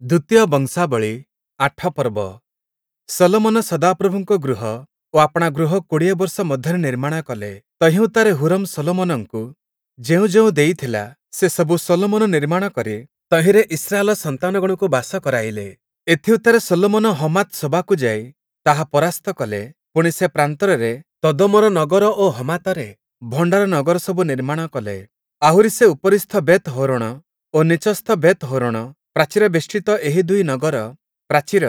ଦ୍ୱିତୀୟ ବଂଶାବଳୀ ଆଠ ପର୍ବ। ଶଲୋମନ ସଦାପ୍ରଭୁଙ୍କ ଗୃହ ଓ ଆପଣା ଗୃହ ୨୦ ବର୍ଷ ମଧ୍ୟରେ ନିର୍ମାଣ କଲେ। ତହିଁଉତ୍ତାରେ ହୂରମ୍ ଶଲୋମନଙ୍କୁ ଯେଉଁ ଯେଉଁ ଦେଇଥିଲା, ସେସବୁ ଶଲୋମନ ନିର୍ମାଣ କରି ତହିଁରେ ଇସ୍ରାଏଲ ସନ୍ତାନଗଣକୁ ବାସ କରାଇଲେ। ଏଥିଉତ୍ତାରେ ଶଲୋମନ ହମାତ୍ ସୋବାକୁ ଯାଇ ତାହା ପରାସ୍ତ କଲେ। ପୁଣି, ସେ ପ୍ରାନ୍ତରରେ ତଦମୋର ନଗର ଓ ହମାତରେ ଭଣ୍ଡାର ନଗରସବୁ ନିର୍ମାଣ କଲେ। ଆହୁରି ସେ ଉପରିସ୍ଥ ବେଥ୍ ହୋରୋଣ ଓ ନୀଚସ୍ଥ ବେଥ୍ ହୋରୋଣ ପ୍ରାଚୀରବେଷ୍ଟିତ ଏହି ଦୁଇ ନଗର ପ୍ରାଚୀର,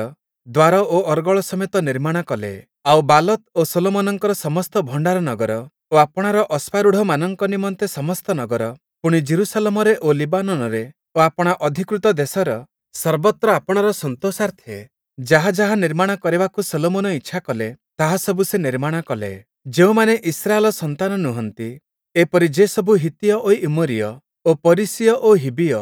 ଦ୍ୱାର ଓ ଅର୍ଗଳ ସମେତ ନିର୍ମାଣ କଲେ। ଆଉ ବାଲତ୍ ଓ ଶଲୋମନଙ୍କର ସମସ୍ତ ଭଣ୍ଡାର ନଗର ଓ ଆପଣାର ଅଶ୍ୱାରୂଢ଼ମାନଙ୍କ ନିମନ୍ତେ ସମସ୍ତ ନଗର, ପୁଣି ଯିରୂଶାଲମରେ ଓ ଲିବାନୋନରେ ଓ ଆପଣା ଅଧିକୃତ ଦେଶର ସର୍ବତ୍ର ଆପଣାର ସନ୍ତୋଷାର୍ଥେ ଯାହା ଯାହା ନିର୍ମାଣ କରିବାକୁ ଶଲୋମନ ଇଚ୍ଛା କଲେ, ତାହା ସବୁ ସେ ନିର୍ମାଣ କଲେ। ଯେଉଁମାନେ ଇସ୍ରାଏଲ ସନ୍ତାନ ନୁହନ୍ତି, ଏପରି ଯେସବୁ ହିତ୍ତୀୟ ଓ ଇମୋରୀୟ ଓ ପରିସୀୟ ଓ ହିବ୍ବୀୟ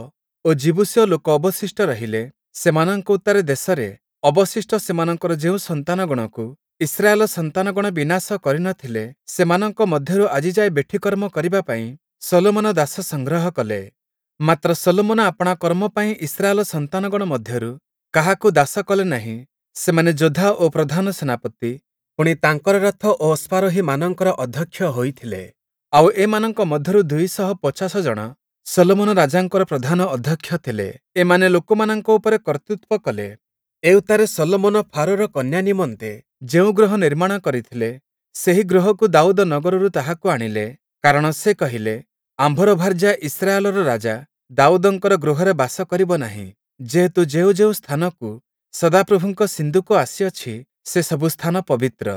ଓ ଯିବୂସୀୟ ଲୋକ ଅବଶିଷ୍ଟ ରହିଲେ, ସେମାନଙ୍କ ଉତ୍ତାରେ ଦେଶରେ ଅବଶିଷ୍ଟ ସେମାନଙ୍କର ଯେଉଁ ସନ୍ତାନଗଣକୁ ଇସ୍ରାଏଲ ସନ୍ତାନଗଣ ବିନାଶ କରି ନ ଥିଲେ, ସେମାନଙ୍କ ମଧ୍ୟରୁ ଆଜିଯାଏ ବେଠିକର୍ମ କରିବା ପାଇଁ ଶଲୋମନ ଦାସ ସଂଗ୍ରହ କଲେ। ମାତ୍ର ଶଲୋମନ ଆପଣା କର୍ମ ପାଇଁ ଇସ୍ରାଏଲ ସନ୍ତାନଗଣ ମଧ୍ୟରୁ କାହାକୁ ଦାସ କଲେ ନାହିଁ। ସେମାନେ ଯୋଦ୍ଧା ଓ ପ୍ରଧାନ ସେନାପତି, ପୁଣି ତାଙ୍କର ରଥ ଓ ଅଶ୍ୱାରୋହୀମାନଙ୍କର ଅଧ୍ୟକ୍ଷ ହୋଇଥିଲେ। ଆଉ ଏମାନଙ୍କ ମଧ୍ୟରୁ ୨୫୦ ଜଣ ଶଲୋମନ ରାଜାଙ୍କର ପ୍ରଧାନ ଅଧ୍ୟକ୍ଷ ଥିଲେ। ଏମାନେ ଲୋକମାନଙ୍କ ଉପରେ କର୍ତ୍ତୃତ୍ୱ କଲେ। ଏଉତ୍ତାରେ ଶଲୋମନ ଫାରୋର କନ୍ୟା ନିମନ୍ତେ ଯେଉଁ ଗୃହ ନିର୍ମାଣ କରିଥିଲେ, ସେହି ଗୃହକୁ ଦାଉଦ ନଗରରୁ ତାହାକୁ ଆଣିଲେ, କାରଣ ସେ କହିଲେ, ଆମ୍ଭର ଭାର୍ଯ୍ୟା ଇସ୍ରାଏଲର ରାଜା ଦାଉଦଙ୍କର ଗୃହରେ ବାସ କରିବ ନାହିଁ, ଯେହେତୁ ଯେଉଁ ଯେଉଁ ସ୍ଥାନକୁ ସଦାପ୍ରଭୁଙ୍କ ସିନ୍ଦୁକ ଆସିଅଛି, ସେସବୁ ସ୍ଥାନ ପବିତ୍ର।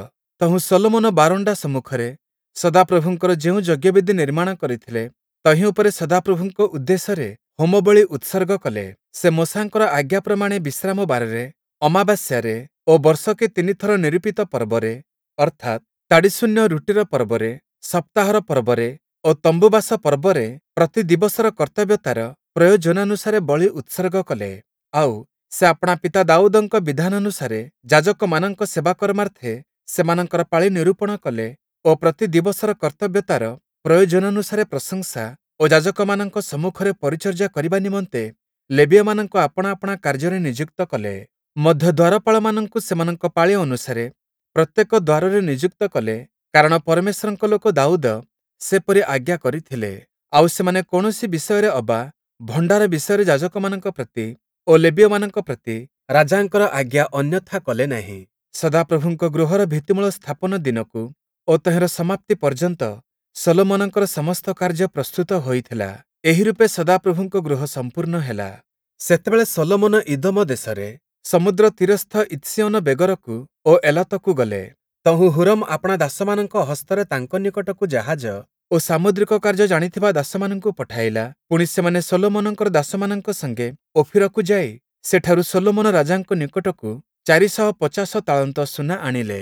ତହୁଁ ଶଲୋମନ ବାରଣ୍ଡା ସମ୍ମୁଖରେ ସଦାପ୍ରଭୁଙ୍କର ଯେଉଁ ଯଜ୍ଞବେଦି ନିର୍ମାଣ କରିଥିଲେ, ତହିଁ ଉପରେ ସଦାପ୍ରଭୁଙ୍କ ଉଦ୍ଦେଶ୍ୟରେ ହୋମବଳି ଉତ୍ସର୍ଗ କଲେ। ସେ ମୋଶାଙ୍କର ଆଜ୍ଞା ପ୍ରମାଣେ ବିଶ୍ରାମ ବାରରେ, ଅମାବାସ୍ୟାରେ ଓ ବର୍ଷକେ ତିନିଥର ନିରୂପିତ ପର୍ବରେ, ଅର୍ଥାତ୍ ତାଡ଼ିଶୂନ୍ୟ ରୁଟିର ପର୍ବରେ, ସପ୍ତାହର ପର୍ବରେ ଓ ତମ୍ବୁବାସ ପର୍ବରେ ପ୍ରତି ଦିବସର କର୍ତ୍ତବ୍ୟତାର ପ୍ରୟୋଜନାନୁସାରେ ବଳି ଉତ୍ସର୍ଗ କଲେ। ଆଉ, ସେ ଆପଣା ପିତା ଦାଉଦଙ୍କ ବିଧାନାନୁସାରେ ଯାଜକମାନଙ୍କ ସେବାକର୍ମାର୍ଥେ ସେମାନଙ୍କର ପାଳି ନିରୂପଣ କଲେ ଓ ପ୍ରତି ଦିବସର କର୍ତ୍ତବ୍ୟତାର ପ୍ରୟୋଜନାନୁସାରେ ପ୍ରଶଂସା ଓ ଯାଜକମାନଙ୍କ ସମ୍ମୁଖରେ ପରିଚର୍ଯ୍ୟା କରିବା ନିମନ୍ତେ ଲେବୀୟମାନଙ୍କୁ ଆପଣା ଆପଣା କାର୍ଯ୍ୟରେ ନିଯୁକ୍ତ କଲେ। ମଧ୍ୟ ଦ୍ୱାରପାଳମାନଙ୍କୁ ସେମାନଙ୍କ ପାଳି ଅନୁସାରେ ପ୍ରତ୍ୟେକ ଦ୍ୱାରରେ ନିଯୁକ୍ତ କଲେ, କାରଣ ପରମେଶ୍ୱରଙ୍କ ଲୋକ ଦାଉଦ ସେପରି ଆଜ୍ଞା କରିଥିଲେ। ଆଉ ସେମାନେ କୌଣସି ବିଷୟରେ ଅବା ଭଣ୍ଡାର ବିଷୟରେ ଯାଜକମାନଙ୍କ ପ୍ରତି ଓ ଲେବୀୟମାନଙ୍କ ପ୍ରତି ରାଜାଙ୍କର ଆଜ୍ଞା ଅନ୍ୟଥା କଲେ ନାହିଁ। ସଦାପ୍ରଭୁଙ୍କ ଗୃହର ଭିତ୍ତିମୂଳ ସ୍ଥାପନ ଦିନକୁ ଓ ତହିଁର ସମାପ୍ତି ପର୍ଯ୍ୟନ୍ତ ଶଲୋମନଙ୍କର ସମସ୍ତ କାର୍ଯ୍ୟ ପ୍ରସ୍ତୁତ ହୋଇଥିଲା। ଏହି ରୂପେ ସଦାପ୍ରଭୁଙ୍କ ଗୃହ ସମ୍ପୂର୍ଣ୍ଣ ହେଲା। ସେତେବେଳେ ଶଲୋମନ ଇଦୋମ ଦେଶରେ ସମୁଦ୍ର ତୀରସ୍ଥ ଇତ୍ସିୟୋନ ବେଗରକୁ ଓ ଏଲତକୁ ଗଲେ। ତହୁଁ ହୂରମ୍ ଆପଣା ଦାସମାନଙ୍କ ହସ୍ତରେ ତାଙ୍କ ନିକଟକୁ ଜାହାଜ ଓ ସାମୁଦ୍ରିକ କାର୍ଯ୍ୟ ଜାଣିଥିବା ଦାସମାନଙ୍କୁ ପଠାଇଲା। ପୁଣି ସେମାନେ ଶଲୋମନଙ୍କର ଦାସମାନଙ୍କ ସଙ୍ଗେ ଓଫିରକୁ ଯାଇ ସେଠାରୁ ଶଲୋମନ ରାଜାଙ୍କ ନିକଟକୁ ୪୫୦ ତାଳନ୍ତ ସୁନା ଆଣିଲେ।